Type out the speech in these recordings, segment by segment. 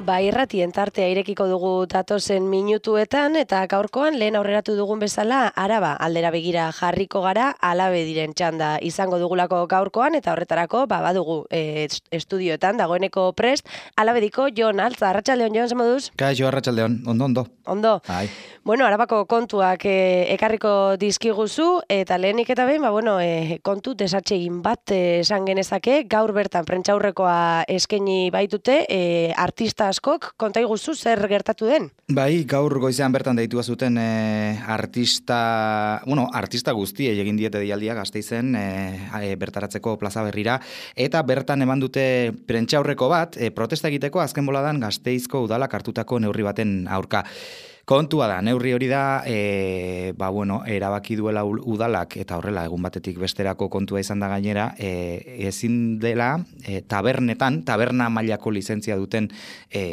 Irratien tartea irekiko dugu datozen minutuetan eta gaurkoan lehen aurreratu dugun bezala Araba aldera begira jarriko gara, Alabe diren txanda izango dugulako gaurkoan eta horretarako badugu estudioetan dagoeneko prest Alabediko Jon Altza. Arratsaldeon, Jon, zemoduz? Kaixo, arratsaldeon, ondo. Ondo. Bai. Bueno, Arabako kontuak ekarriko dizkiguzu eta lehenik eta behin, kontu desatsegin bat esan genezake, gaur bertan prentsaurrekoa eskaini baitute artista askok, konta iguzu zer gertatu den? Bai, gaur goizean bertan deitua zuten artista guztiei egin diete deialdia Gasteizen bertaratzeko plaza berrira, eta bertan eman dute prentsaurreko bat, protesta egiteko azken boladan Gasteizko udalak hartutako neurri baten aurka. Kontua da, neurri hori da, erabaki duela udalak, eta horrela egun batetik besterako kontua izan da gainera, ezin dela taberna mailako lizentzia duten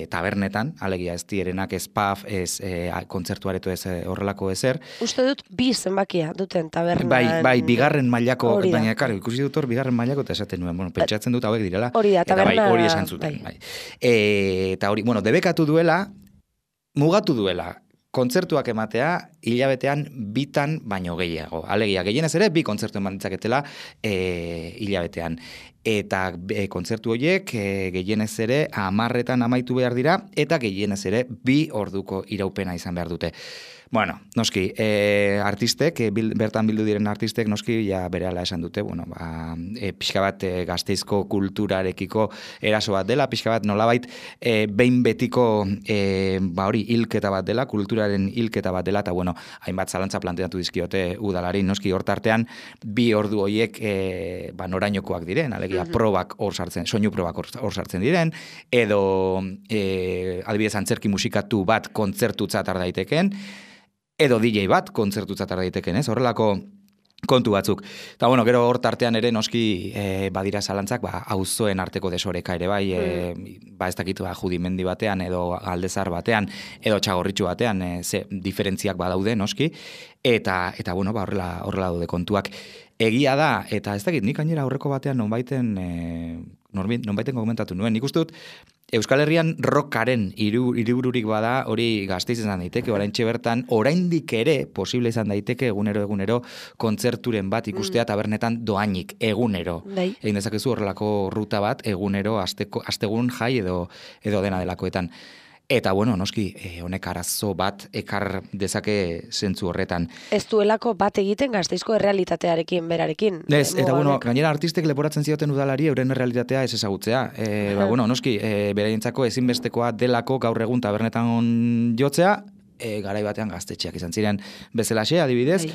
tabernetan, alegia ez dierenak, ez pub, ez kontzertuareto ez horrelako ezer. Uste dut bi zenbakia duten tabernan. Bai, bigarren mailako, baina karo, ikusi dut hor bigarren mailako eta esaten nuen, pentsatzen dut hauek direla. Hori da, taberna. Hori esan zuten, bai. Eta hori, debekatu duela, mugatu duela, kontzertuak ematea hilabetean bitan baino gehiago. Alegia, gehienez ere, bi kontzertu eman ditzaketela hilabetean. Eta kontzertu horiek gehienez ere 10etan amaitu behar dira, eta gehienez ere 2 orduko iraupena izan behar dute. Bueno, noski, artistek, bertan bildu diren artistek, noski, ja berehala esan dute, pixka bat Gasteizko kulturarekiko eraso bat dela, pixka bat nolabait behin betiko hilketa bat dela, kulturaren hilketa bat dela, eta hainbat zalantza planteatu dizkiote udalari, noski, hortartean 2 ordu horiek norainokoak diren, alegia probak hor sartzen, soinu probak hor sartzen diren, edo adibidez antzerki musikatu bat kontzertutzat daiteken, edo DJ bat kontzertutzat daiteken, ez? Horrelako kontu batzuk. Eta gero hor tartean ere noski badira zalantzak, auzoen arteko desoreka ere bai, ez dakit Judimendi batean, edo Aldezar batean, edo Txagorritxu batean, ze diferentziak badaude noski, eta horrela daude kontuak. Egia da, eta ez dakit, nik gainera aurreko batean nonbaiten komentatu nuen. Nik uste dut, Euskal Herrian rockaren hiribururik bada hori Gasteiz izan daiteke, oraintxe bertan, oraindik ere posible izan daiteke egunero kontzerturen bat ikustea tabernetan doainik, egunero. Egin dezakezu horrelako ruta bat, egunero, astegun jai edo dena delakoetan. Eta noski, honek arazo bat ekar dezake zentzu horretan. Ez duelako bat egiten Gasteizko errealitatearekin, berarekin. Ez, eta gainera artistek leporatzen zioten udalari euren errealitatea ez ezagutzea. Noski, beraientzako ezinbestekoa delako gaur egun tabernetan jotzea, garai batean gaztetxeak izan ziren bezalaxe, adibidez,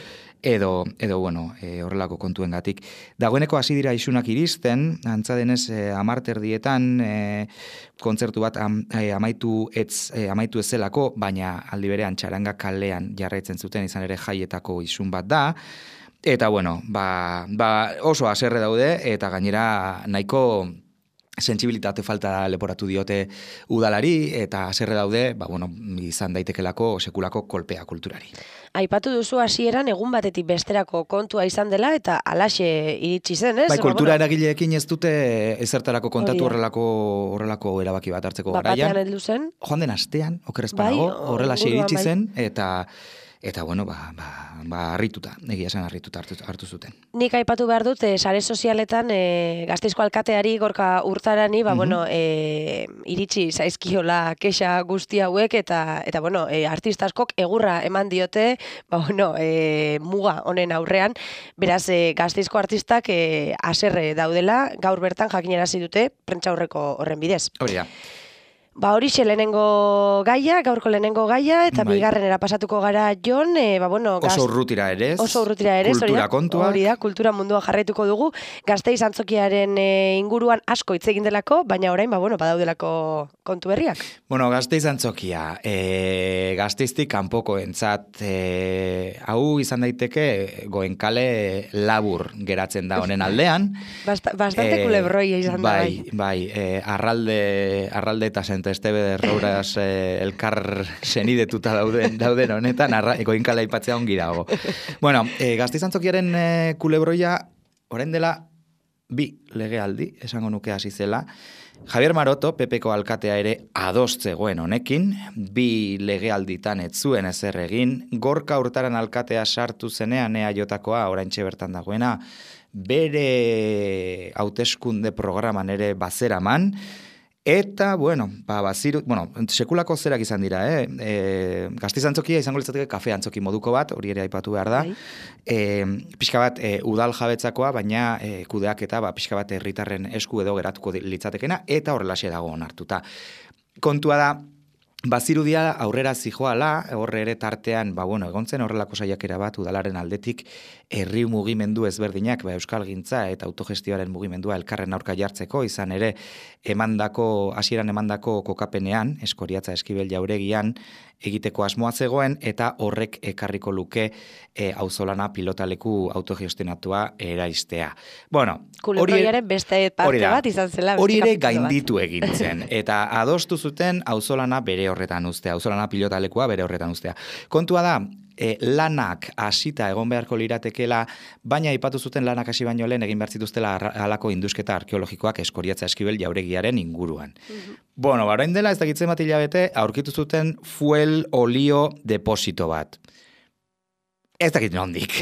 edo horrelako kontuengatik. Dagoeneko hasi dira isunak iristen, antza denez 10:00 kontzertu bat amaitu ez zelako, baina aldi berean Txaranga kalean jarraitzen zuten izan ere jaietako isun bat da, eta oso haserre daude, eta gainera nahiko sentsibilitate falta leporatu diote udalari, eta haserre daude, izan daitekelako sekulako kolpea kulturari. Aipatu duzu hasieran egun batetik besterako kontua izan dela, eta alaxe iritsi zen, ez? Kultura eragileekin ez dute ezertarako kontatu horrelako erabaki bat hartzeko garaian. Batean heldu zen? Joan den astean, okeres panago, horrelaxe iritsi zen, eta harrituta, egia esan harrituta hartu zuten. Nik aipatu behar dut, sare sozialetan Gasteizko alkateari Gorka Urtarani, iritsi zaizkiola kexa guzti hauek, eta artista askok egurra eman diote, muga honen aurrean, beraz Gasteizko artistak haserre daudela, gaur bertan jakinarazi dute prentsaurreko horren bidez. Hori da. Horixe lehenengo gaia, gaurko lehenengo gaia, eta bigarrenera pasatuko gara, Jon, oso urrutira ere ez. Kultura kontua. Hori da, kultura mundua jarraituko dugu. Gasteiz antzokiaren inguruan asko hitz egin delako, baina orain, badaudelako kontu berriak. Gasteiz antzokia, Gasteiztik kanpoko entzat, hau izan daiteke Goenkale labur geratzen da honen aldean. Bastante kulebroia izan da. Bai, arralde eta Estebe de Rouras elkar senidetuta dauden honetan, Goenkale aipatzea ongi dago. Gasteiz antzokiaren kulebroia, orain dela 2 legealdi, esango nuke hasi zela, Javier Maroto, PPko alkatea ere ados zegoen honekin, 2 legealditan ez zuen ezer egin, Gorka Urtaran alkatea sartu zenean EAJkoa, oraintxe bertan dagoena, bere hauteskunde programan ere bazeraman, eta, sekulako zerak izan dira, Gasteiz antzokia izango litzateke kafe antzoki moduko bat, hori ere aipatu behar da, pixka bat udal jabetzakoa, baina kudeak eta pixka bat herritarren esku edo geratuko litzatekena, eta horrelaxe dago onartuta. Kontua da, bazirudia aurrera zijoala, horre ere tartean, egon zen horrelako saiakera bat udalaren aldetik, herri mugimendu ezberdinak, euskalgintza eta autogestioaren mugimendua elkarren aurka jartzeko, izan ere hasieran emandako kokapenean, Eskoriatza Eskibel Jauregian, egiteko asmoa zegoen, eta horrek ekarriko luke auzolana pilotaleku autogestionatua eraistea. Kulebroiaren beste parte bat izan zela. Hori ere gainditu egin zen, eta adostu zuten auzolana bere horretan ustea, auzolana pilotalekua bere horretan ustea. Kontua da, lanak hasita egon beharko liratekela, baina aipatu zuten lanak hasi baino lehen egin behar zituztela halako indusketa arkeologikoak Eskoriatza Eskibel Jauregiaren inguruan. Orain dela ez dakitzen bat hilabete, aurkitu zuten fuel olio deposito bat. Ez dakit nondik,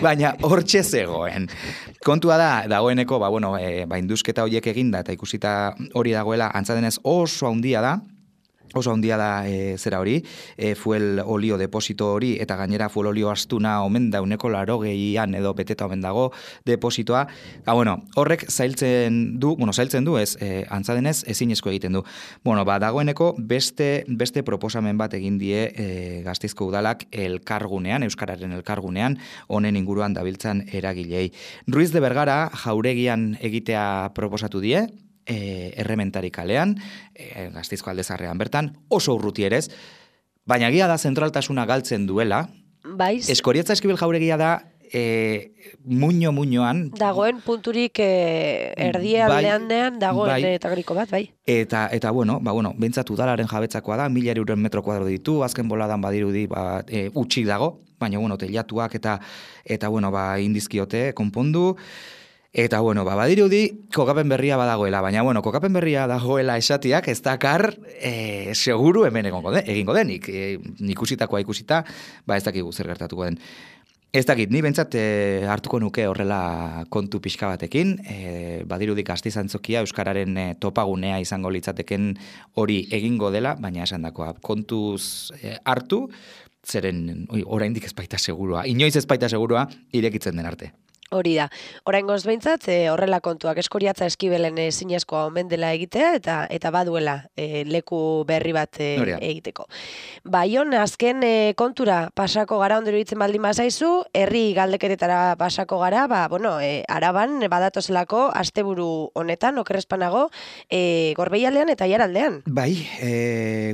baina hortxe zegoen. Kontua da, dagoeneko, indusketa horiek eginda eta ikusita hori dagoela, antzadenez oso handia da, zera hori, fuel olio deposito hori, eta gainera fuel olio astuna omen da 80an edo beteta omen dago depositoa. Horrek zailtzen du, ez, antzadenez ezinezko egiten du. Dagoeneko beste proposamen bat egin die Gasteizko udalak elkargunean, Euskararen elkargunean, honen inguruan dabiltzan eragilei. Ruiz de Bergara Jauregian egitea proposatu die, Errementari kalean, Gasteizko Aldezarrean bertan, oso urruti erez, baina gia da zentraltasuna galtzen duela. Eskoriatza Eskibel Jauregia da muñoan dagoen punturik erdialdean dagoen etagriko bat, bai. Eta behintzat udalaren jabetzakoa da, 1.000 euren metro kuadro ditu, azken boladan badirudi utxik dago, baina teilatuak eta indizkiote konpondu. Eta, badirudi, kokapen berria badagoela, baina, kokapen berria dagoela esatiak, ez dakar, seguru hemen egingo denik. Ikusitakoa ikusita, ez dakigu zer gertatuko den. Ez dakit, ni bentsat hartuko nuke horrela kontu pixka batekin, badirudi Gasteiz antzokia Euskararen topagunea izango litzateken hori egingo dela, baina esan dakoa, kontuz hartu, zeren, oraindik ez baita segurua, inoiz ez baita segurua, irekitzen den arte. Hori da. Oraingoz behintzat, horrela kontuak Eskoriatza Eskibelen zinezkoa omen dela egitea, eta baduela leku berri bat egiteko. Jon, azken kontura pasako gara, ondero ditzen baldin bazaizu, herri galdeketetara pasako gara, Araban badatozelako asteburu honetan, okerrezpanago, Gorbeialdean eta Aiaraldean. Bai,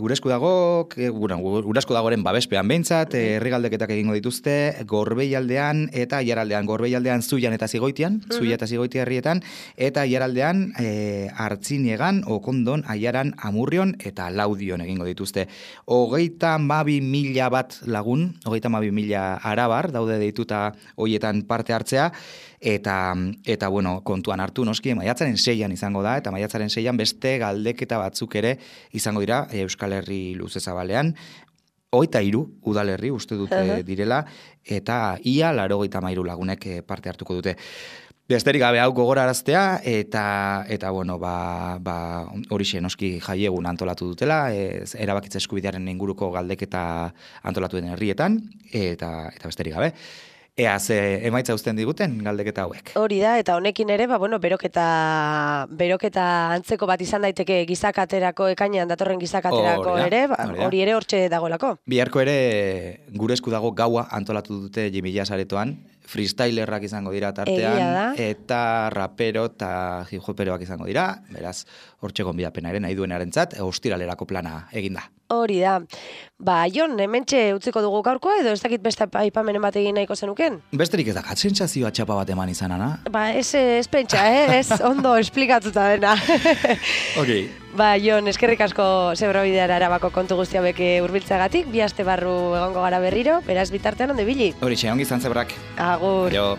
gure esku dagoren babespean behintzat, herri galdeketak egingo dituzte, Gorbeialdean eta Aiaraldean. Gorbeialdean Zuian eta Zigoitian, Zuia eta Zigoitia herrietan, eta Aiaraldean Artziniegan, Okondon, Aiaran, Amurrion eta Laudion egingo dituzte. 32.000 bat lagun, 32.000 arabar, daude deituta hoietan parte hartzea, eta kontuan hartu noski, maiatzaren 6an izango da, eta maiatzaren 6an beste galdeketa batzuk ere izango dira Euskal Herri luze zabalean, 23 udalerri uste dute direla, eta ia 93 lagunek parte hartuko dute. Besterik gabe hau gogoraraztea, eta horixe noski jaiegun antolatu dutela, erabakitza eskubidearen inguruko galdeketa antolatu den herrietan, eta besterik gabe. Ea, ze emaitza uzten diguten galdeketa hauek. Hori da, eta honekin ere, beroketa antzeko bat izan daiteke gizakaterako, ekainean datorren gizakaterako ere, hori ere hortxe dagoelako. Biharko ere gure esku dago gaua antolatu dute Jimilla saretoan, freestylerrak izango dira tartean, eta rapero eta hip-hoperoak izango dira, beraz, hortxe gonbidapena ere nahi duenarentzat, ostiralerako plana eginda. Hori da. Jon, hementxe utziko dugu gaurkoa, edo ez dakit beste aipamenen bat egin nahiko zenuken? Besterik ez da, sentsazioa txapa bat eman izan, Ana? Ez pentsa, ez ondo esplikatuta dena. Ok. Jon, eskerrik asko Zebrabideara Arabako kontu guzti hauek hurbiltzeagatik, 2 aste barru egongo gara berriro, beraz bitartean onde ibili. Horixe, ongi izan Zebrak. Agur. Aio.